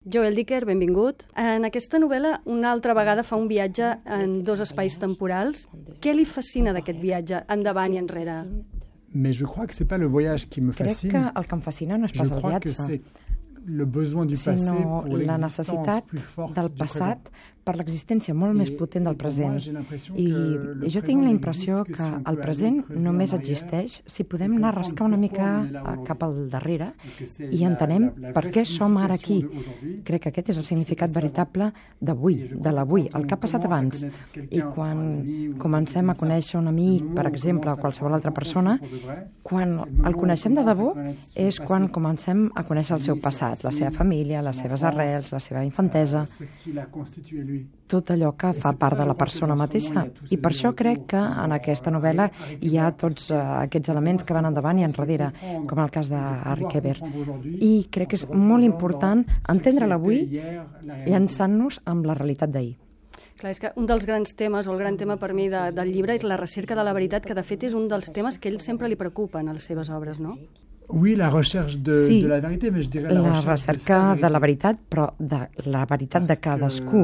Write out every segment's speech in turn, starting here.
Joel Dicker, benvingut. En aquesta novel·la, una altra vegada fa un viatge en dos espais temporals. Què li fascina d'aquest viatge, endavant i enrere? Mais je crois que c'est pas le voyage qui me fascine. Crec que el que em fascina no és pas el viatge, sinó la necessitat del passat per l'existència molt més potent del present. I jo tinc la impressió que el present només existeix si podem anar a rascar una mica cap al darrere i entenem per què som ara aquí. Crec que aquest és el significat veritable d'avui, de l'avui, el que ha passat abans. I quan comencem a conèixer un amic, per exemple, o qualsevol altra persona, quan el coneixem de debò és quan comencem a conèixer el seu passat, la seva família, les seves arrels, la seva infantesa, tot allò que fa part de la persona mateixa. I per això crec que en aquesta novel·la hi ha tots aquests elements que van endavant i enrere, com el cas d'Harry Keber. I crec que és molt important entendre l'avui llançant-nos amb la realitat d'ahir. Clar, és que un dels grans temes, o el gran tema per mi del llibre, és la recerca de la veritat, que de fet és un dels temes que ell sempre li preocupen a les seves obres, no? Oui, la recherche de la vérité, mais je dirais la recerca de la veritat, però de la veritat de cadascú.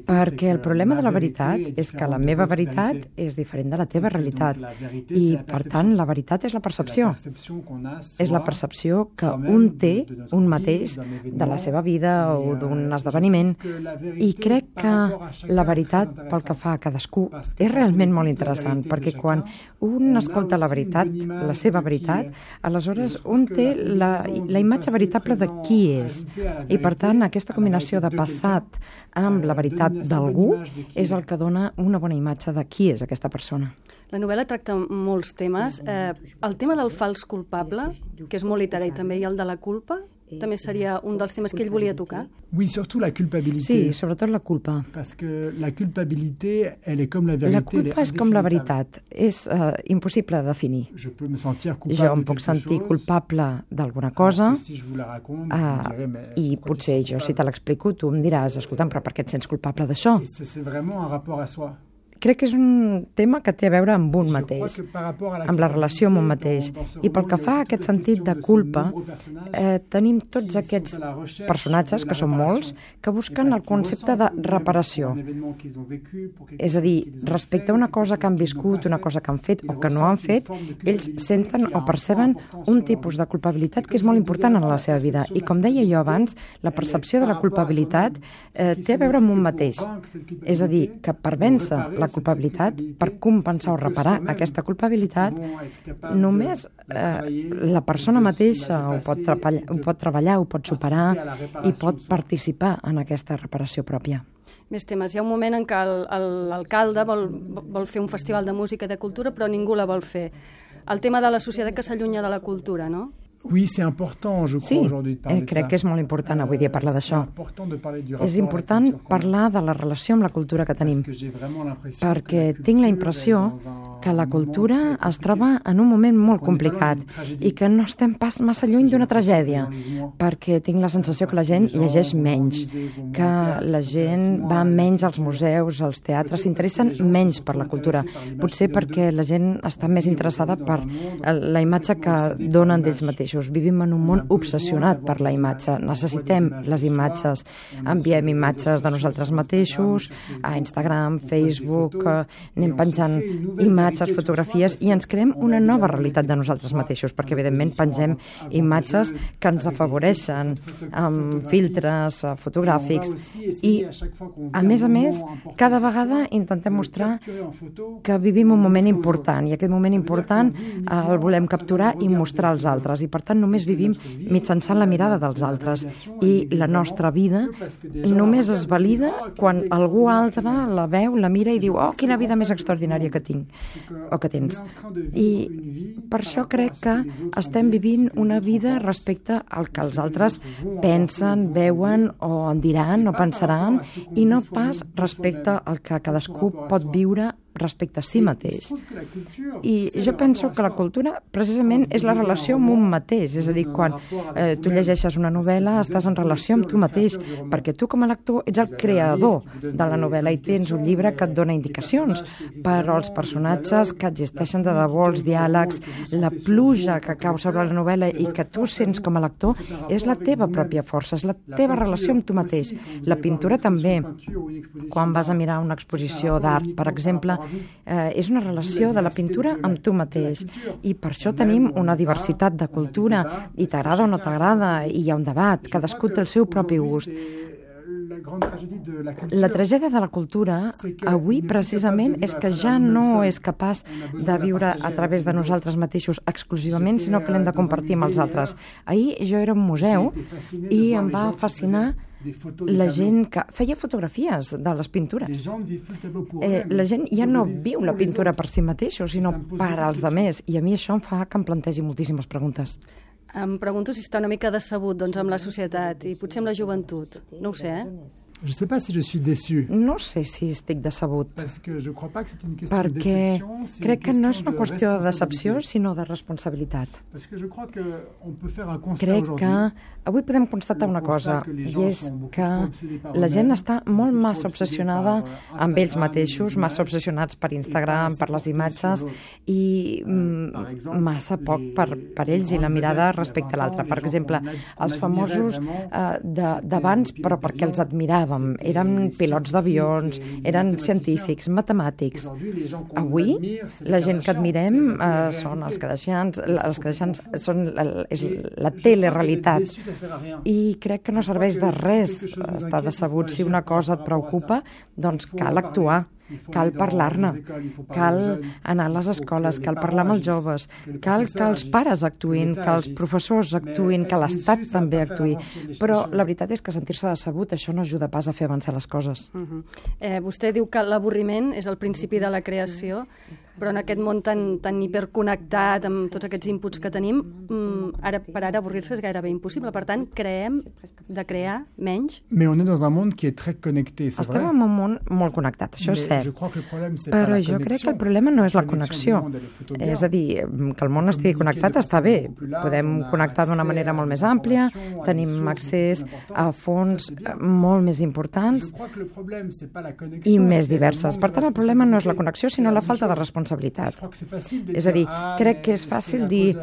Perquè el problema de la veritat és que la meva veritat és diferent de la teva realitat. I, per tant, la veritat és la percepció. És la percepció que un té, un mateix, de la seva vida o d'un esdeveniment. I crec que la veritat, pel que fa a cadascú, és realment molt interessant, perquè quan un escolta la veritat, la seva veritat, aleshores un té la imatge veritable de qui és. I per tant, aquesta combinació de passat amb la veritat d'algú és el que dona una bona imatge de qui és aquesta persona. La novel·la tracta molts temes. El tema del fals culpable, que és molt literari també, i el de la culpa, també seria un dels temes que ell volia tocar. Oui, surtout la culpabilité. Sí, sobretot la culpa. Parce que la culpabilité, elle est comme la vérité. La culpa és com la veritat, és impossible de definir. Jo em puc sentir culpable d'alguna cosa i potser jo, si te l'explico, tu em diràs, escolta'm, però per què et sents culpable d'això? C'est vraiment un rapport à soi. Crec que és un tema que té a veure amb un mateix, amb la relació amb un mateix. I pel que fa a aquest sentit de culpa, tenim tots aquests personatges, que són molts, que busquen el concepte de reparació. És a dir, respecte a una cosa que han viscut, una cosa que han fet o que no han fet, ells senten o perceben un tipus de culpabilitat que és molt important en la seva vida. I com deia jo abans, la percepció de la culpabilitat té a veure amb un mateix. És a dir, que per vèncer la culpabilitat, per compensar o reparar aquesta culpabilitat, només la persona mateixa ho pot treballar, ho pot superar i pot participar en aquesta reparació pròpia. Més temes. Hi ha un moment en què l'alcalde vol fer un festival de música i de cultura, però ningú la vol fer. El tema de la societat que s'allunya de la cultura, no? Oui, c'est important, je crois, aujourd'hui de parler de ça. Crec que és molt important avui dia parlar d'això. És important parlar de la relació amb la cultura que tenim, perquè tinc la impressió que la cultura es troba en un moment molt complicat i que no estem pas massa lluny d'una tragèdia, perquè tinc la sensació que la gent llegeix menys, que la gent va menys als museus, als teatres, s'interessen menys per la cultura, potser perquè la gent està més interessada per la imatge que donen d'ells mateixos. Vivim en un món obsessionat per la imatge. Necessitem les imatges. Enviem imatges de nosaltres mateixos a Instagram, Facebook, anem penjant imatges, fotografies i ens creem una nova realitat de nosaltres mateixos, perquè evidentment pengem imatges que ens afavoreixen amb filtres fotogràfics i, a més, cada vegada intentem mostrar que vivim un moment important i aquest moment important el volem capturar i mostrar als altres i per tant només vivim mitjançant la mirada dels altres i la nostra vida només es valida quan algú altre la veu, la mira i diu oh, quina vida més extraordinària que tinc o que tens. I per això crec que estem vivint una vida respecte al que els altres pensen, veuen o en diran o pensaran i no pas respecte al que cadascú pot viure respecte a si mateix. I jo penso que la cultura precisament és la relació amb un mateix, és a dir, quan tu llegeixes una novel·la estàs en relació amb tu mateix, perquè tu com a lector ets el creador de la novel·la i tens un llibre que et dona indicacions, però els personatges que existeixen de debò, els diàlegs, la pluja que cau sobre la novel·la i que tu sents com a lector, és la teva pròpia força, és la teva relació amb tu mateix. La pintura també, quan vas a mirar una exposició d'art, per exemple, és una relació de la pintura amb tu mateix. I per això tenim una diversitat de cultura, i t'agrada o no t'agrada, i hi ha un debat, cadascú té el seu propi gust. La tragèdia de la cultura avui precisament és que ja no és capaç de viure a través de nosaltres mateixos exclusivament, sinó que l'hem de compartir amb els altres. Ahir jo era a un museu i em va fascinar la gent que feia fotografies de les pintures. La gent ja no viu la pintura per si mateixos, sinó per als altres, i a mi això em fa que em plantegi moltíssimes preguntes. Em pregunto si està una mica decebut amb la societat i potser amb la joventut. No ho sé, Je ne sais pas si je suis déçu. No sé si estic decebut, perquè crec que no és una qüestió de decepció, sinó de responsabilitat. Crec que avui podem constatar una cosa, i és que la gent està molt massa obsessionada amb ells mateixos, massa obsessionats per Instagram, per les imatges, i massa poc per ells i la mirada respecte a l'altre. Per exemple, els famosos d'abans, però perquè els admiràvem, eren pilots d'avions, eren científics, matemàtics. Avui, la gent que admirem són els Kardashians, són la telerealitat. I crec que no serveix de res estar decebut. Si una cosa et preocupa, doncs cal actuar. Cal parlar-ne, cal anar a les escoles, cal parlar amb els joves, cal que els pares actuïn, que els professors actuïn, que l'Estat també actuï. Però la veritat és que sentir-se decebut, això no ajuda pas a fer avançar les coses. Vostè diu que l'avorriment és el principi de la creació, però en aquest món tan hiperconnectat, amb tots aquests inputs que tenim, per ara avorrir-se és gairebé impossible. Per tant, creem de crear menys. Mais on est dans un monde qui est très connecté, c'est vrai. Estem en un món molt connectat, això és cert. Però jo crec que el problema no és la connexió. És a dir, que el món estigui connectat està bé. Podem connectar d'una manera molt més àmplia, tenim accés a fonts molt més importants i més diverses. Per tant, el problema no és la connexió, sinó la falta de responsabilitat. És a dir, crec que és fàcil dir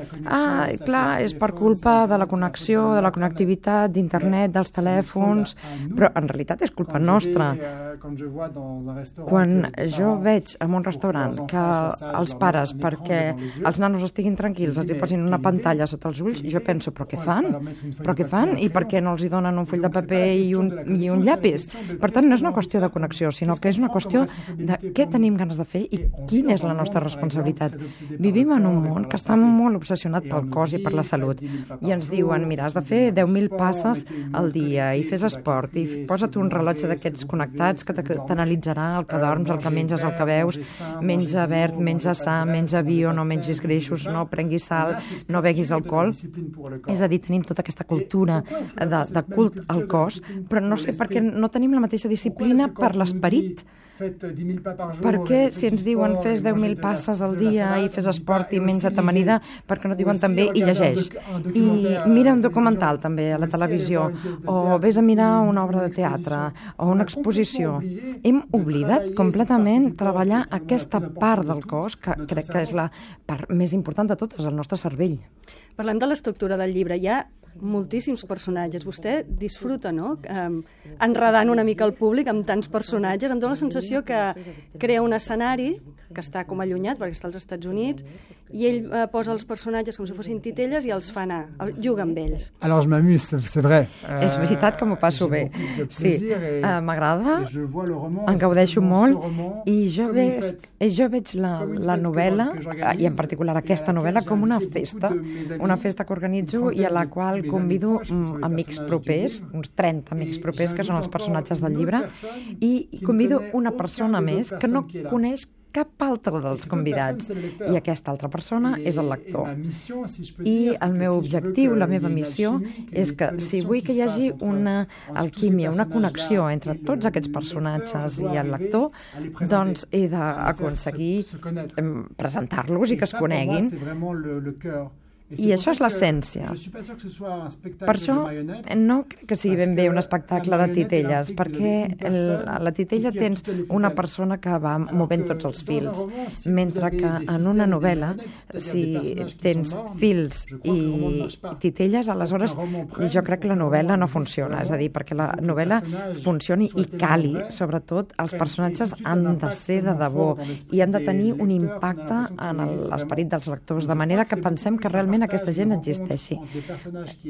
clar, és per culpa de la connexió, de la connectivitat, d'internet, dels telèfons, però en realitat és culpa nostra. Quan jo veig en un restaurant que els pares, perquè els nanos estiguin tranquils, els hi posin una pantalla sota els ulls, jo penso, però què fan? Però què fan? I per què no els hi donen un full de paper i un llapis? Per tant, no és una qüestió de connexió, sinó que és una qüestió de què tenim ganes de fer i quina és la nostra responsabilitat. Vivim en un món que està molt obsessionat pel cos i per la salut i ens diuen, mira, has de fer 10.000 passes al dia i fes esport i posa't un rellotge d'aquests connectats que t'analitzarà el que dorms, el que menges, el que veus, menja verd, menja sa, menja bio, no mengis greixos, no prenguis sal, no beguis alcohol. És a dir, tenim tota aquesta cultura de cult al cos, però no sé per què no tenim la mateixa disciplina per l'esperit. Perquè si ens diuen fes 10.000 passes al dia i fes esport i menja't amanida, perquè no diuen també i llegeix. I mira un documental també a la televisió, o vés a mirar una obra de teatre o una exposició. Hem oblidat completament treballar aquesta part del cos, que crec que és la part més important de totes, el nostre cervell. Parlem de l'estructura del llibre. Hi ha moltíssims personatges. Vostè disfruta, no?, enredant una mica el públic amb tants personatges. Em dóna la sensació que crea un escenari que està com allunyat, perquè està als Estats Units, i ell posa els personatges com si fossin titelles i els fa anar, juga amb ells. Alors je m'amuse, c'est vrai. És veritat que m'ho passo bé. Sí, m'agrada, en gaudeixo molt, i jo veig la novel·la, i en particular aquesta novel·la, com una festa que organitzo i a la qual convido amics propers, uns 30 amics propers, que són els personatges del llibre, i convido una persona més que no coneix cap altre dels convidats. I aquesta altra persona és el lector. I el meu objectiu, la meva missió, és que si vull que hi hagi una alquímia, una connexió entre tots aquests personatges i el lector, doncs he d'aconseguir presentar-los i que es coneguin. I això és l'essència. Per això no crec que sigui ben bé un espectacle de titelles, perquè a la titella tens una persona que va movent tots els fils, mentre que en una novel·la, si tens fils i titelles, aleshores jo crec que la novel·la no funciona. És a dir, perquè la novel·la funcioni i cali, sobretot, els personatges han de ser de debò i han de tenir un impacte en l'esperit dels lectors, de manera que pensem que realment aquesta gent existeixi.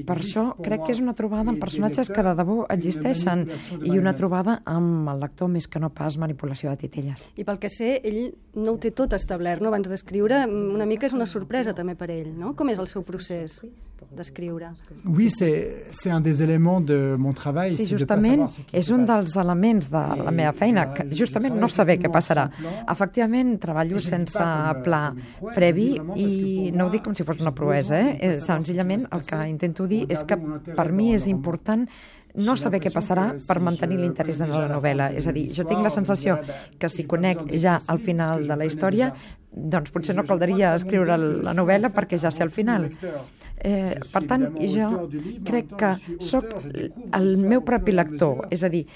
Per això crec que és una trobada amb personatges que de debò existeixen i una trobada amb el lector més que no pas manipulació de titelles. I pel que sé, ell no ho té tot establert, no? Abans d'escriure, una mica és una sorpresa també per ell, no? Com és el seu procés d'escriure? Oui, c'est un des éléments de mon travail. Sí, justament és un dels elements de la meva feina, que justament no saber què passarà. Efectivament, treballo sense pla previ i no ho dic com si fos una proesa, senzillament el que intento dir és que per mi és important no saber què passarà per mantenir l'interès en la novel·la. És a dir, jo tinc la sensació que si conec ja al final de la història, doncs potser no caldria escriure la novel·la perquè ja sé el final. Per tant, jo crec que sóc el meu propi lector, és a dir,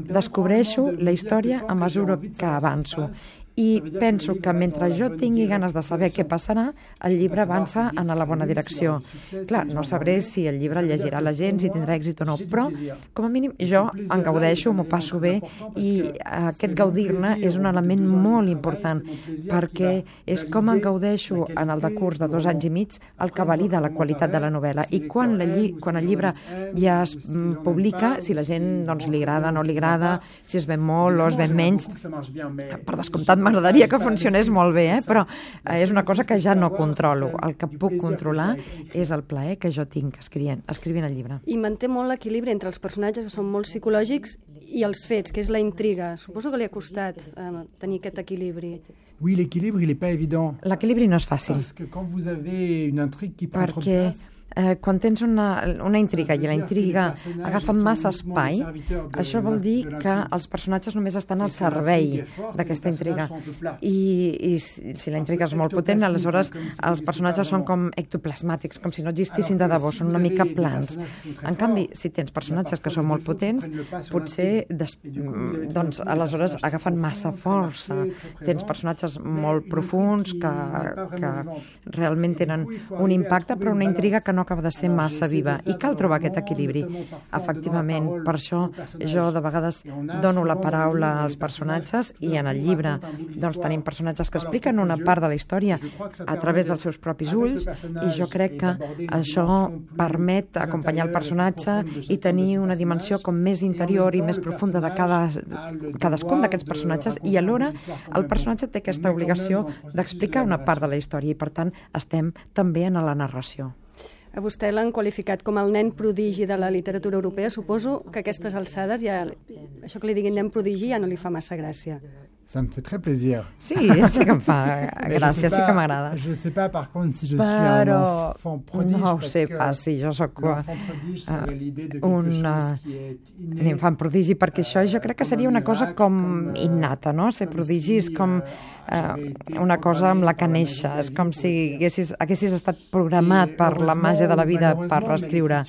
descobreixo la història a mesura que avanço. I penso que mentre jo tingui ganes de saber què passarà, el llibre avança en la bona direcció. Clar, no sabré si el llibre el llegirà la gent, si tindrà èxit o no, però com a mínim jo en gaudeixo, m'ho passo bé i aquest gaudir-ne és un element molt important perquè és com en gaudeixo en el decurs de 2 anys i mig el que valida la qualitat de la novel·la i quan el llibre ja es publica, si la gent doncs, li agrada, no li agrada, si es ven molt o es ven menys, per descomptat m'agradaria que funcionés molt bé, però és una cosa que ja no controlo. El que puc controlar és el plaer que jo tinc escrivint el llibre. I manté molt l'equilibri entre els personatges que són molt psicològics i els fets, que és la intriga. Suposo que li ha costat tenir aquest equilibri. Oui, l'équilibre, il n'est pas évident. L'equilibri no és fàcil. Parce que quand vous avez une intrigue qui prend trop de place, quan tens una intriga i la intriga agafa massa espai, això vol dir que els personatges només estan al servei d'aquesta intriga. I si la intriga és molt potent, aleshores els personatges són com ectoplasmàtics, com si no existissin de debò, són una mica plans. En canvi, si tens personatges que són molt potents, potser doncs, aleshores agafen massa força. Tens personatges molt profuns que realment tenen un impacte, però una intriga que no acaba de ser massa viva i cal trobar aquest equilibri. Efectivament, per això jo de vegades dono la paraula als personatges i en el llibre doncs tenim personatges que expliquen una part de la història a través dels seus propis ulls i jo crec que això permet acompanyar el personatge i tenir una dimensió com més interior i més profunda de cadascun d'aquests personatges i alhora el personatge té aquesta obligació d'explicar una part de la història i per tant estem també en la narració. A vostè l'han qualificat com el nen prodigi de la literatura europea. Suposo que a aquestes alçades ja això que li diguin nen prodigi ja no li fa massa gràcia. Ça me fait très plaisir. Sí, sí que em fa gràcia, sí que m'agrada. Je sais pas, par contre, si je suis un enfant prodige. No ho sé pas, si jo sóc un infant prodigi, perquè això jo crec que seria una cosa com innata, no? Ser prodigi és com una cosa amb la que néixer, és com si haguessis estat programat per la màgia de la vida per escriure.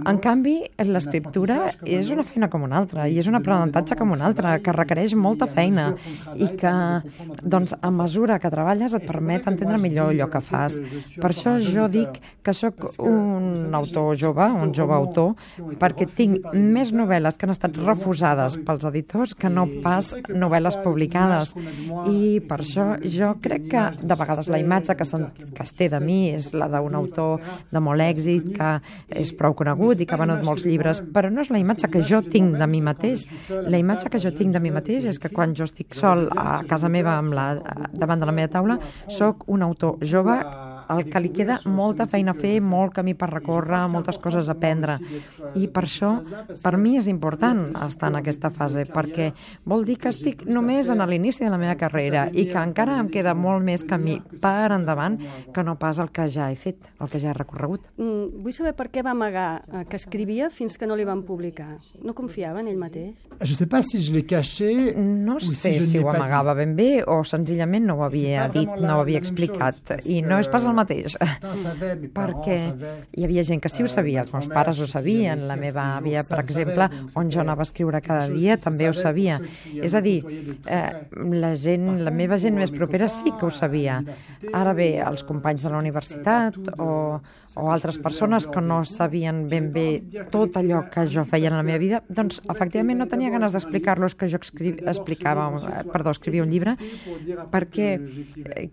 En canvi, l'escriptura és una feina com una altra, i és un aprenentatge com una altra, que requereix molta feina, i que, doncs, a mesura que treballes et permet entendre millor allò que fas. Per això jo dic que sóc un autor jove, un jove autor, perquè tinc més novel·les que han estat refusades pels editors que no pas novel·les publicades. I per això jo crec que de vegades la imatge que es té de mi és la d'un autor de molt èxit, que és prou conegut i que ha venut molts llibres, però no és la imatge que jo tinc de mi mateix. La imatge que jo tinc de mi mateix és que quan jo estic sol a casa meva davant de la meva taula, sóc un autor jove al que li queda molta feina a fer, molt camí per recórrer, moltes coses a aprendre. I per això, per mi és important estar en aquesta fase, perquè vol dir que estic només en l'inici de la meva carrera i que encara em queda molt més camí per endavant que no pas el que ja he fet, el que ja he recorregut. Vull saber per què va amagar que escrivia fins que no li van publicar. No confiava en ell mateix? Je sais pas si je l'ai caché. No sé si ho amagava ben bé o senzillament no ho havia dit, no ho havia explicat. I no és pas el mateix, perquè hi havia gent que sí ho sabia, els meus pares ho sabien, la meva àvia, per exemple, on jo anava a escriure cada dia, també ho sabia. És a dir, la meva gent més propera sí que ho sabia. Ara bé, els companys de la universitat o altres persones que no sabien ben bé tot allò que jo feia en la meva vida, doncs efectivament no tenia ganes d'explicar-los que jo escrivia un llibre, perquè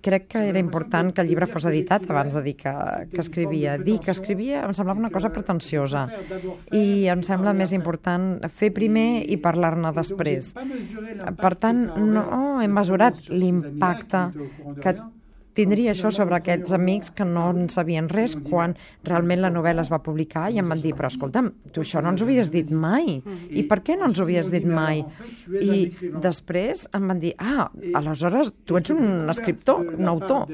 crec que era important que el llibre fos editat abans de dir que escrivia. Dir que escrivia em semblava una cosa pretensiosa i em sembla més important fer primer i parlar-ne després. Per tant, no he mesurat l'impacte que tindria això sobre aquests amics que no en sabien res quan realment la novel·la es va publicar i em van dir, però escolta'm, tu això no ens ho havies dit mai. I per què no ens ho havies dit mai? I després em van dir, aleshores tu ets un escriptor, un autor.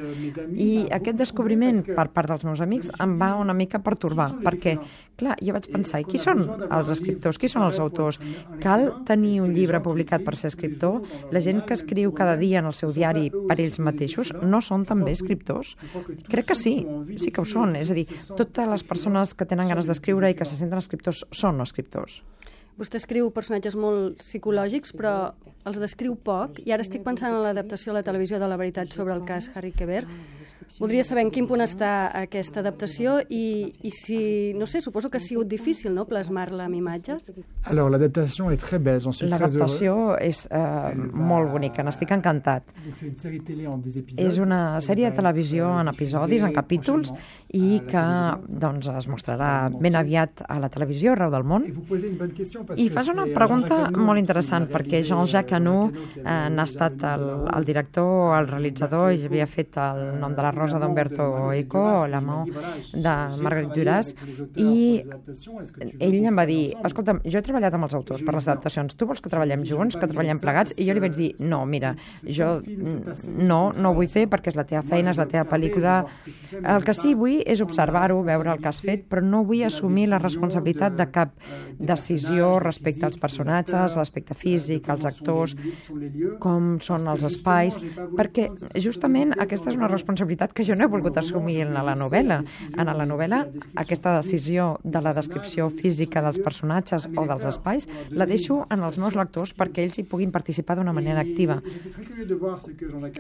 I aquest descobriment per part dels meus amics em va una mica pertorbar, perquè, clar, jo vaig pensar, qui són els escriptors, qui són els autors? Cal tenir un llibre publicat per ser escriptor? La gent que escriu cada dia en el seu diari per ells mateixos no són també escriptors? Crec que sí que ho són. És a dir, totes les persones que tenen ganes d'escriure i que se senten escriptors són escriptors. Vostè escriu personatges molt psicològics, però els descriu poc, i ara estic pensant en l'adaptació a la televisió de La veritat sobre el cas Harry Quebert. Voldria saber en quin punt està aquesta adaptació i si, no sé, suposo que ha sigut difícil, no?, plasmar-la amb imatges. Alors, l'adaptació és très belle, j'en suis très heureux. L'adaptació és molt bonica, n'estic encantat. És una sèrie de televisió en episodis, en capítols, i que doncs, es mostrarà ben aviat a la televisió arreu del món. I fas una pregunta molt interessant, perquè Jean-Jacques Hano n'ha estat el director, el realitzador, i havia fet El nom de la Rosa d'Umberto Eco, L'amant de Marguerite Duras, i ell em va dir, escolta'm, jo he treballat amb els autors per les adaptacions, tu vols que treballem junts, que treballem plegats? I jo li vaig dir, no, mira, jo no ho vull fer perquè és la teva feina, és la teva pel·lícula. El que sí vull és observar-ho, veure el que has fet, però no vull assumir la responsabilitat de cap decisió respecte als personatges, l'aspecte físic, als actors, com són els espais, perquè justament aquesta és una responsabilitat que jo no he volgut assumir en la novel·la. En la novel·la, aquesta decisió de la descripció física dels personatges o dels espais la deixo en els meus lectors perquè ells hi puguin participar d'una manera activa.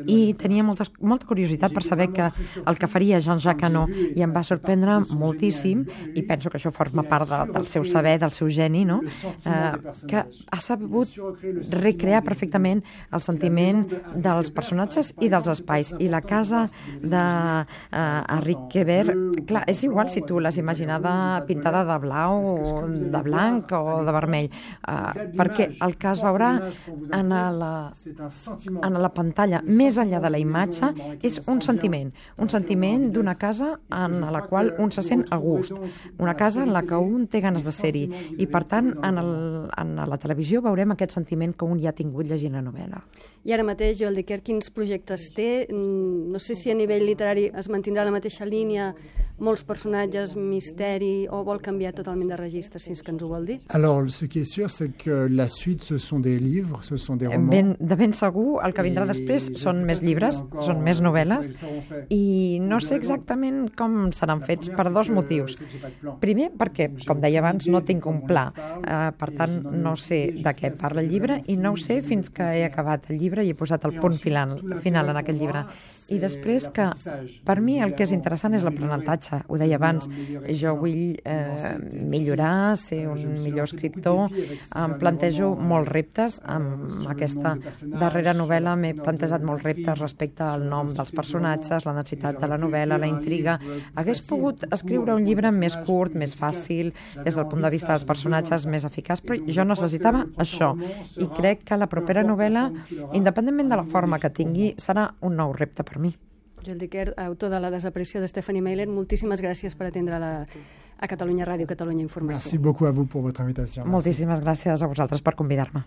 I tenia molta curiositat per saber que el que faria Jean-Jacques Hano, i em va sorprendre moltíssim, i penso que això forma part del seu saber, del seu geni, no? Que ha sabut recrear perfectament el sentiment dels personatges i dels espais. I la casa de Harry Quebert, clar, és igual si tu l'has imaginada pintada de blau, de blanc o de vermell, perquè el que es veurà en la pantalla, més enllà de la imatge, és un sentiment d'una casa en la qual un se sent a gust, una casa en la que un té ganes de ser-hi, i per tant en la televisió veurem aquest sentiment que un ja ha tingut llegint la novel·la. I ara mateix, Joel Dicker, quins projectes té? No sé si a nivell literari es mantindrà la mateixa línia, molts personatges, misteri, o vol canviar totalment de registre, si és que ens ho vol dir? Alors, ce qui est sûr, c'est que la suite, ce sont des livres, ce sont des romans. De ben segur, el que vindrà després són més llibres, són més novel·les, i no sé exactament com seran fets per dos motius. Primer, perquè, com deia abans, no tinc un pla, per tant, no sé de què parla el llibre, i no ho sé fins que he acabat el llibre i he posat el punt final en aquest llibre. I després que, per mi, el que és interessant és l'aprenentatge. Ho deia abans, jo vull millorar, ser un millor escriptor, em plantejo molts reptes. Amb aquesta darrera novel·la m'he plantejat molts reptes respecte al nom dels personatges, la necessitat de la novel·la, la intriga. Hagués pogut escriure un llibre més curt, més fàcil, des del punt de vista dels personatges, més eficaç, però jo necessitava això. I crec que la propera novel·la, independentment de la forma que tingui, serà un nou repte per mi. Joel Dicker, autor de La desaparició de Stephanie Meyer, moltíssimes gràcies per atendre a Catalunya Ràdio, Catalunya Informació. Merci beaucoup a vous pour votre invitation. Moltíssimes gràcies a vosaltres per convidar-me.